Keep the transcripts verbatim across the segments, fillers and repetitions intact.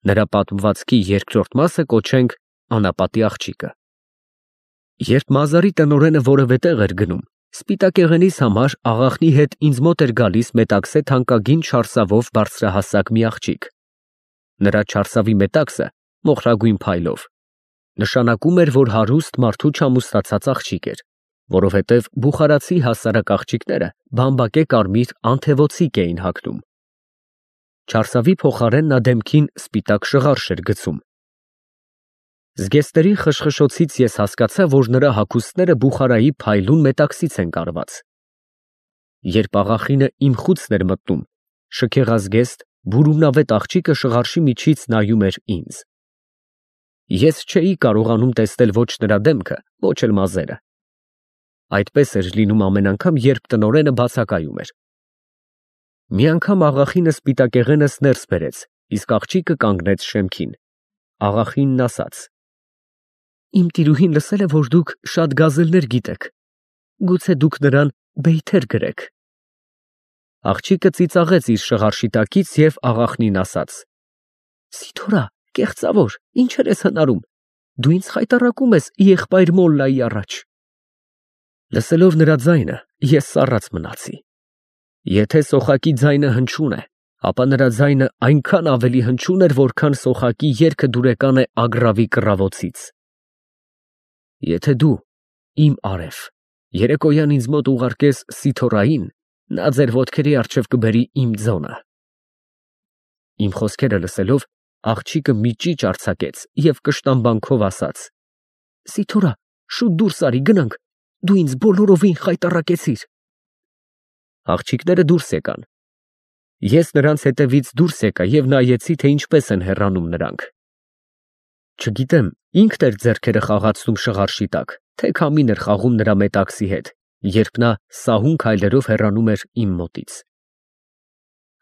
Նրա պատմվածքի երկրորդ մասը կոչենք Անապատի աղջիկը։ Երբ Մազարի տնօրենը որևէ տեղ էր գնում, սպիտակեղենիս համար աղախնի հետ ինձ մոտ էր գալիս մետաքսե թանկագին չարսավով բարձրահասակ մի աղջիկ։ Նրա չարսավի մետաքսը մոխրագույն փայլով նշանակում էր, որ հարուստ մարդու չամուսնացած աղջիկ էր, որովհետև բուխարացի հասարակ աղջիկները բամբակե կարմիր անթևոցիկ էին հագնում։ Չարսավի փոխարեն նա դեմքին սպիտակ շղարշ էր գցում։ Զգեստերի խշխշոցից ես հասկացա, որ նրա հագուստները Բուխարայի փայլուն մետաքսից են կարված։ Երբ աղախինը իմ խուցն էր մտնում, շքեղազգեստ, բուրումնավետ աղջիկը շղարշի միջից նայում էր ինձ։ Ես չէի կարողանում տեսնել ոչ նրա դեմքը, ոչ էլ մազերը։ Այդպես էր լինում ամեն անգամ, երբ տնօրենը բացակայում էր։ Մի անգամ աղախինը սպիտակեղենս ներս բերեց, իսկ աղջիկը կանգնեց շեմքին։ Աղախինն ասաց. «Իմ տիրուհին լսել է, որ դուք շատ գազելներ գիտեք, գուցե դուք նրան բեյթեր գրեք»։ Աղջիկը ծիծաղեց իր շղարշի տակից և աղախնին ասաց. «Սիթորա, կեղծավոր, ինչեր ես հնարում, դու ինձ խայտառակում ես եղբայր Մոլլայի առաջ»։ Լսելով նրա ձայնը, ես սառած մնացի։ Եթե սոխակի ձայնը հնչյուն է, ապա նրա ձայնը այնքան ավելի հնչյուն էր, որքան սոխակի երգը դուրեկան է ագռավի կռավոցից։ Եթե դու, իմ արև, երեկոյան ինձ մոտ ուղարկես Սիթորային, նա ձեր ոտքերի առջև կբերի իմ ձոնը։ Իմ խոսքերը լսելով, աղջիկը մի ճիճ արձակեց և կշտամբանքով ասաց. «Սիթորա, շուտ դուրս արի, գնանք, դու ինձ բոլորովին խայտառակեցիր»։ Աղջիկները դուրս եկան։ Ես նրանց հետևից դուրս եկա և նայեցի, թե ինչպես են հեռանում նրանք։ Չգիտեմ, ինքն էր ձեռքերը խաղացնում շղարշի տակ, թե քամին էր խաղում նրա մետաքսի հետ, երբ նա սահուն քայլերով հեռանում էր իմ մոտից։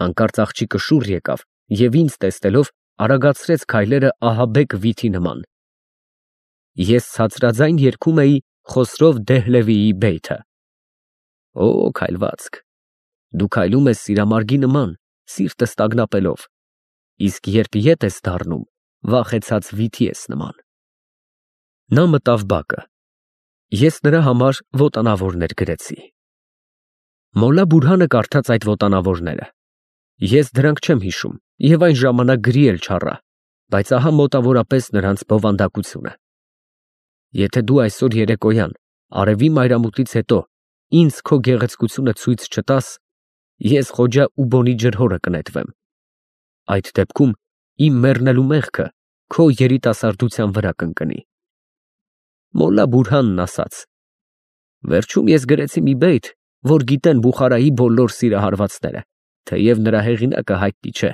Հանկարծ աղջիկը շուռ եկավ և ինձ տեսնելով արագացրեց քայլերը ահաբեկ վիթի նման։ Ես ցածրաձայն երգում էի Խոսրով Դեհլևիի բեյթը։ Օ, քայլվածք, դու քայլում ես սիրամարգի նման, սիրտը ստագնապելով, իսկ երբ ետ ես դառնում, վախեցած վիթի ես նման։ Նա մտավ բակը։ Ես նրա համար ոտանավորներ գրեցի։ Մոլլա Բուրհանը կարդաց այդ ոտանավորները։ Ես դրանք չեմ հիշում և այն ժամանակ գրի էլ չառա, բայց ահա մոտավորապես նրանց բովանդակությունը։ Եթե դու այսօր երեկոյան, արևի մայրամուտից հետո, ինձ քո գեղեցկությունը ցույց չտաս, ես Խոջա Ուբոնի ջրհորը կնետվեմ։ Այդ դեպքում իմ մեռնելու մեղքը քո երիտասարդության վրա կընկնի։ Մոլլա Բուրհանն ասաց. վերջում ես գրեցի մի բեյթ, որ գիտեն Բուխարայի բոլոր սիրահարվածները, թեև նրա հեղինակը հայտնի չէ։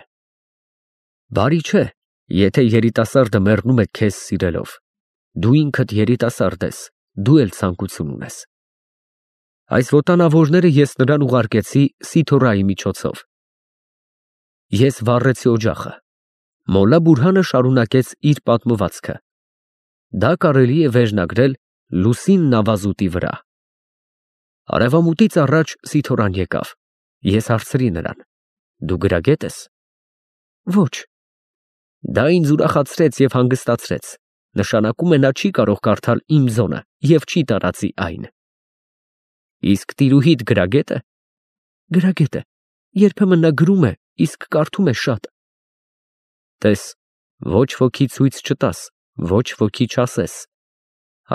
Բարի չէ, եթե երիտասարդը մեռնում է քեզ սիրելով։ Դու ինքդ երիտասարդ ես, դու էլ ցանկություն ունես։ Այս ոտանավորները ես նրան ուղարկեցի Սիթորայի միջոցով։ Ես վառեցի օջախը։ Մոլլա Բուրհանը շարունակեց իր պատմվածքը։ Դա կարելի է վերնագրել Լուսին նավազուտի վրա։ Արևամուտից առաջ Սիթորան եկավ։ Ես հարցրի նրան. դու գրագետ ես։ Ոչ։ Դա ինձ ուրախացրեց և հանգստացրեց։ Նշանակում է նա չի կարող կարդալ իմ ձոնը և չի տարածի այն։ Իսկ տիրուհիդ գրագետ է։ Գրագետ է, երբեմն նա գրում է, իսկ կարդում է շատ։ Տես, ոչ ոքի ցույց չտաս, ոչ ոքի չասես,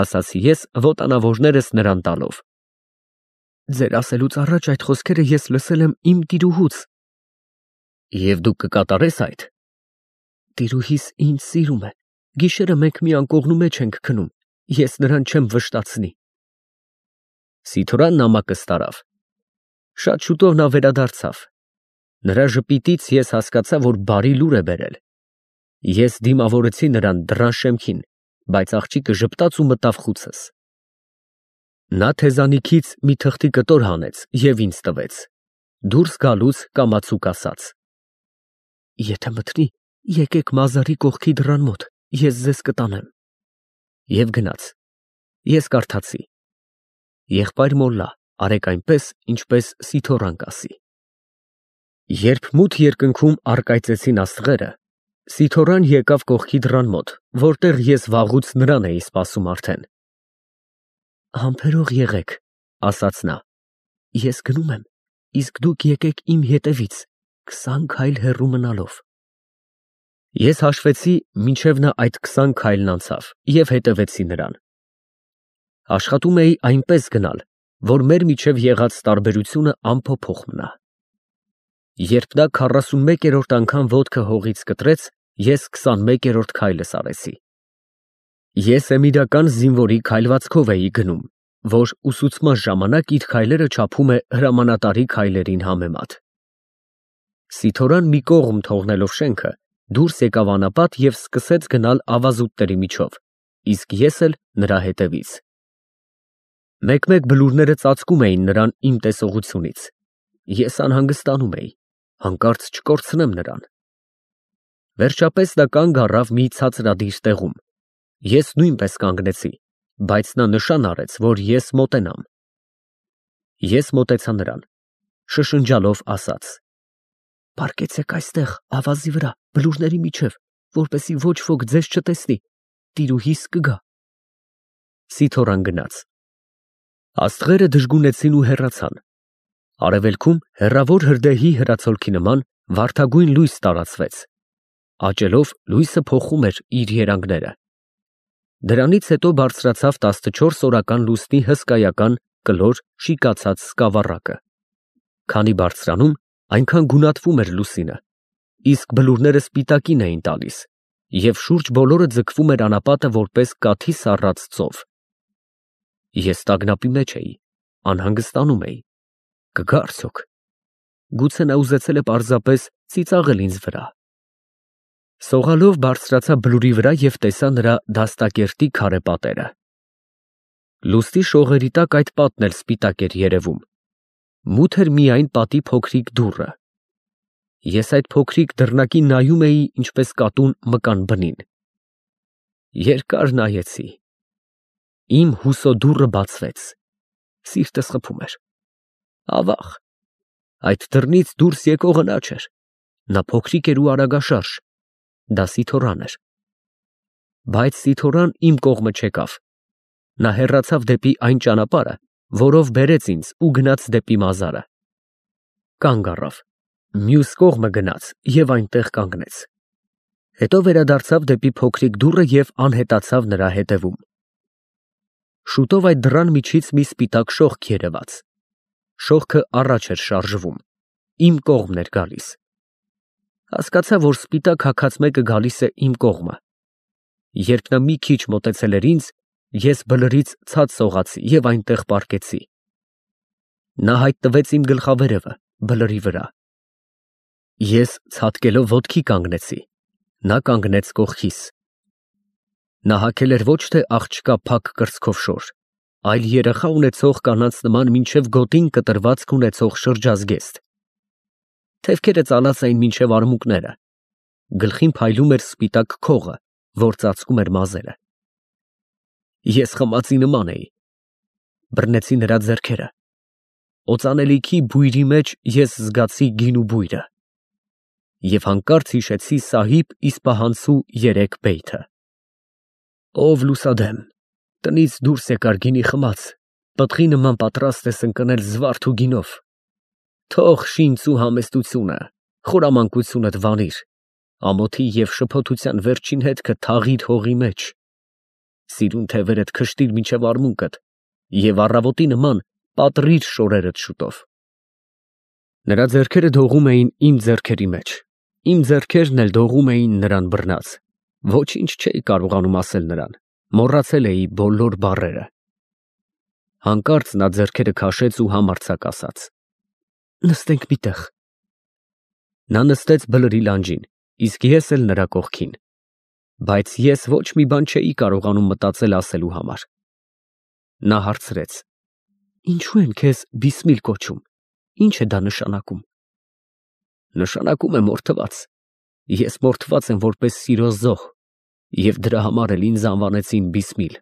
ասացի ես ոտանավորներս նրան տալով։ Ձեր ասելուց առաջ այդ խոսքերը ես լսել եմ իմ տիրուհուց։ Եվ դու կկատարես այդ։ Տիրուհիս ինձ սիրում է, գիշերը մենք մի անկողնու մեջ ենք քնում, ես նրան չեմ վշտացնի։ Սիթորան նամակը ստարավ։ Շատ շուտով նա վերադարձավ։ Նրա ժպիտից ես հասկացա, որ բարի լուր է բերել։ Ես դիմավորեցի նրան դռան շեմքին, բայց աղջիկը ժպտաց ու մտավ խուցս։ Նա թեզանիքից մի թղթի կտոր հանեց և ինձ տվեց։ Դուրս գալուց կամացուկ ասաց. Եթե մտնի, եկեք Մազարի կողքի դռան մոտ, ես ձեզ կտանեմ։ Եվ գնաց։ Ես կարդացի. Եղբայր Մոլլա, արեք այնպես, ինչպես Սիթորան կասի։ Երբ մութ երկնքում առկայծեցին աստղերը, Սիթոռան եկավ կողքի դռան մոտ, որտեղ ես վաղուց նրան էի սպասում արդեն։ Համբերող եղեք, ասաց նա, ես գնում եմ, իսկ դուք եկեք իմ հետևից, քսան քայլ հեռու մնալով։ Ես հաշվեցի, մինչև նա այդ քսան քայլն անցավ և հետևեցի նրան։ Աշխատում էի այնպես գնալ, որ մեր միջև եղած տարբերությունը անփոփոխ մնա։ Երբ նա քառասունմեկերորդ անգամ ոտքը հողից կտրեց, ես քսանմեկերորդ քայլս արեցի։ Ես էմիրական զինվորի քայլվածքով էի գնում, որ ուսուցման ժամանակ իր քայլերը չափում է հրամանատարի քայլերին համեմատ։ Սիթոռան մի կողմ թողնելով շենքը, դուրս եկավ անապատ և սկսեց գնալ ավազուտների միջով, իսկ ես էլ նրա հետևից։ Մեկ-մեկ բլուրները ծածկում էին նրան իմ տեսողությունից։ Ես անհանգստանում էի, հանկարծ չկորցնեմ նրան։ Վերջապես նա կանգ առավ մի ցածրադիր տեղում։ Ես նույնպես կանգնեցի, բայց նա նշան արեց, որ ես մոտենամ։ Ես մոտեցա նրան, շշնջալով ասաց. «Պառկեցեք այստեղ, ավազի վրա, բլուրների միջև, որպեսզի ոչ ոք ձեզ չտեսնի, տիրուհիս կգա»։ Սիթոռան գնաց։ Աստղերը դժգունեցին ու հեռացան։ Արևելքում հեռավոր հրդեհի հրացոլքի նման վարդագույն լույս տարածվեց։ Աճելով լույսը փոխում էր իր երանգները։ Դրանից հետո բարձրացավ տասնչորս օրական լուսնի հսկայական, կլոր, շիկացած սկավառակը։ Քանի բարձրանում, այնքան գունատվում էր լուսինը, իսկ բլուրները սպիտակին էին տալիս, և շուրջ բոլորը ձգվում էր անապատը որպես կաթի սառած ծով։ Ես տագնապի մեջ էի, անհանգստանում էի։ Կգա՞ արդյոք։ Գուցե նա ուզեցել է պարզապես ծիծաղել ինձ վրա։ Սողալով բարձրացա բլուրի վրա և տեսա նրա դաստակերտի քարե պատերը։ Լուսնի շողերի տակ այդ պատն էլ սպիտակ էր երևում։ Մութ էր միայն պատի փոքրիկ դուռը։ Ես այդ փոքրիկ դռնակին նայում էի ինչպես կատուն մկան բնին։ Երկար նայեցի։ Իմ հուսո դուռը բացվեց։ Սիրտս խփում էր։ Ավաղ, այդ դռնից դուրս եկողը նա չէր։ Նա փոքրիկ էր ու արագաշարժ։ Դա Սիթոռան էր։ Բայց Սիթոռան իմ կողմը չեկավ։ Նա հեռացավ դեպի այն ճանապարհը, որով բերեց ինձ ու գնաց դեպի մազարը։ Կանգ առավ, մյուս կողմը գնաց և այնտեղ կանգնեց։ Հետո վերադարձավ դեպի փոքրիկ դուռը և անհետացավ նրա հետևում։ Շուտով այդ դռան միջից մի սպիտակ շողք երևաց։ Շողքը առաջ էր շարժվում, իմ կողմն էր գալիս։ Հասկացա, որ սպիտակ հագած մեկը գալիս է իմ կողմը։ Երբ նա մի քիչ մոտեցել էր ինձ, ես բլրից ցած սողացի և այնտեղ պառկեցի։ Նա հայտնվեց իմ գլխավերևը, բլրի վրա։ Ես ցատկելով ոտքի կանգնեցի, նա կանգնեց կողքիս։ Նա հագել էր ոչ թե աղջկա փակ կրծքով շոր, այլ երեխա ունեցող կանանց նման մինչև գոտին կտրվածք ունեցող շրջազգեստ։ Թևքերը ծալած էին մինչև արմունկները։ Գլխին փայլում էր սպիտակ քողը, որ ծածկում էր մազերը։ Ես խմածի նման էի։ Բռնեցի նրա ձեռքերը։ Օծանելիքի բույրի մեջ ես զգացի գինու բույրը։ Եվ հանկարծ հիշեցի Սահիբ Իսպահանցու երեք բեյթը. Ով լուսադեմ, տնից դուրս եկար գինի խմած, պտղի նման պատրաստ ես ընկնել զվարթ ու գինով։ Թող շինծ ու համեստությունը, խորամանկությունդ վանիր, ամոթի և շփոթության վերջին հետքը թաղիր հողի մեջ։ Սիրուն թևերդ քշտիր մինչև արմունկդ և առավոտի նման պատռիր շորերդ շուտով։ Նրա ձեռքերը դողում էին իմ ձեռքերի մեջ, իմ ձեռքերն էլ դողում էին նրան բռնած։ Ոչինչ չէի կարողանում ասել նրան, մոռացել էի բոլոր բառերը։ Հանկարծ նա ձեռքերը քաշեց ու համարձակ ասաց. Նստենք մի տեղ։ Նա նստեց բլրի լանջին, իսկ ես էլ նրա կողքին։ Բայց ես ոչ մի բան չէի կարողանում մտածել ասելու համար։ Նա հարցրեց. Ինչու են քեզ Բիսմիլ կոչում, ինչ է դա նշանակում։ Նշանակում է մորթված։ Ես մորթված եմ որպես սիրո զոհ, և դրա համար էլ ինձ անվանեցին Բիսմիլ։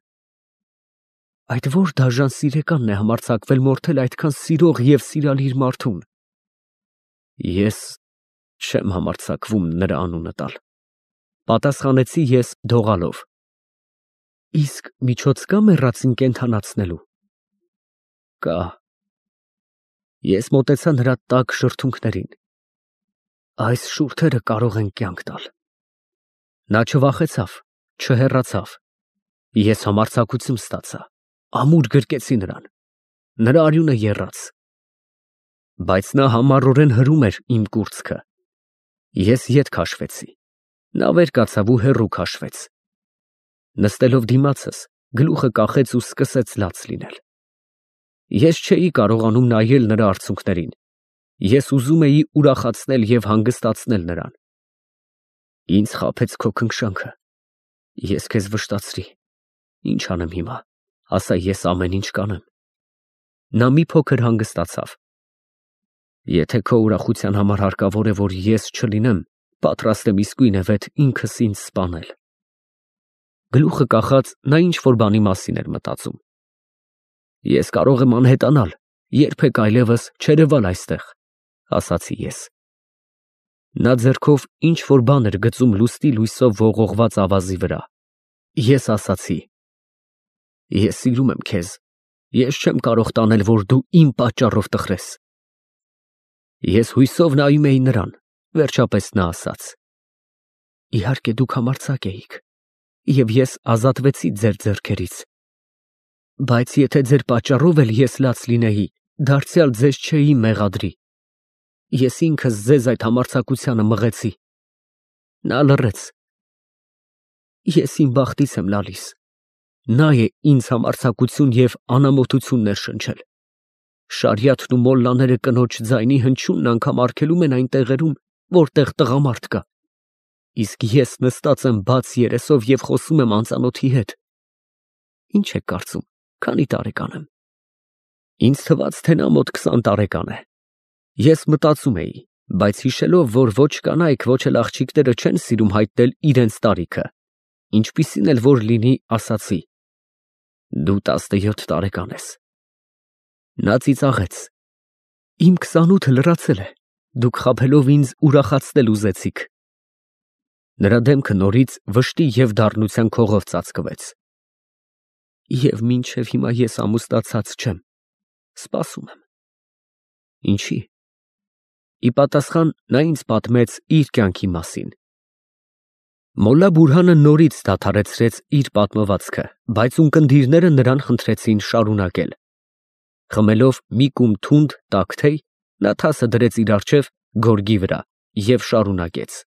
Այդ ո՞ր դաժան սիրեկանն է համարձակվել մորթել այդքան սիրող և սիրալիր մարդուն։ Ես չեմ համարձակվում նրա անունը տալ։ Պատասխանեցի ես դողալով. Իսկ միջոց կա մեռածին կենդանացնելու։ Կա։ Ես մոտեցա նրա տաք շրթունքներին։ Այս շուրթերը կարող են կյանք տալ։ Նա չվախեցավ, չհեռացավ։ Ես համարձակություն ստացա, ամուր գրկեցի նրան։ Նրա արյունը եռաց։ Բայց նա համառորեն հրում էր իմ կուրծքը։ Ես ետ քաշվեցի։ Նա վեր կացավ ու հեռու քաշվեց։ Նստելով դիմացս, գլուխը կախեց ու սկսեց լաց լինել։ Ես չէի կարողանում նայել նրա արցունքներին։ Ես ուզում էի ուրախացնել և հանգստացնել նրան։ Ինձ խաբեց քո քնքշանքը։ Ես քեզ վշտացրի։ Ինչ անեմ հիմա, ասա ես ամեն ինչ կանեմ։ Նա մի փոքր հանգստացավ։ Եթե քո ուրախության համար հարկավոր է, որ ես չլինեմ, պատրաստ եմ իսկույնևեթ ինքս ինձ սպանել։ Գլուխը կախած նա ինչ-որ բանի մասին էր մտածում։ Ես կարող եմ անհետանալ, երբեք այլևս չերևալ այստեղ, ասացի ես։ Նա ձեռքով ինչ-որ բան էր գծում լուսնի լույսով ողողված ավազի վրա։ Ես ասացի. Ես սիրում եմ քեզ, ես չեմ կարող տանել, որ դու իմ պատճառով տխրես։ Ես հույսով նայում էի նրան, վերջապես նա ասաց. Իհարկե դուք համարձակ էիք, և ես ազատվեցի ձեր ձեռքերից։ Բայց եթե ձեր պատճառով էլ ես լաց լինեի, դարձյալ ձեզ չէի մեղադրի։ Ես ինքս ձեզ այդ համարձակությանը մղեցի։ Նա լռեց։ Ես իմ բախտից եմ լալիս։ Նա է ինձ համարձակություն և անամոթություն ներշնչել։ Շարիաթն ու մոլլաները կնոջ ձայնի հնչյունն անգամ արգելում են այն տեղերում, որտեղ տղամարդ կա։ Իսկ ես նստած եմ բաց երեսով և խոսում եմ անծանոթի հետ։ Ինչ եք կարծում, քանի տարեկան եմ։ Ինձ թվաց, թե նա մոտ քսան տարեկան է։ Ես մտածում էի, բայց հիշելով, որ ոչ կանայք, ոչ էլ աղջիկները չեն սիրում հայտնել իրենց տարիքը, ինչպիսին էլ որ լինի, ասացի. Դու տասնյոթ տարեկան ես։ Նա ծիծաղեց։ Իմ քսանութը լրացել է, դուք խաբելով ինձ ուրախացնել ուզեցիք։ Նրա դեմքը նորից վշտի և դառնության քողով ծածկվեց։ Եվ մինչև հիմա ես ամուսնացած չեմ, սպասում եմ։ Ինչի՞։ Ի պատասխան նա ինձ պատմեց իր կյանքի մասին։ Մոլլա Բուրհանը նորից դադարեցրեց իր պատմվածքը, բայց ունկնդիրները նրան խնդրեցին շարունակել։ Խմելով մի կում թունդ տաք թեյ, նա թասը դրեց իր առջև գորգի վրա և շարունակեց.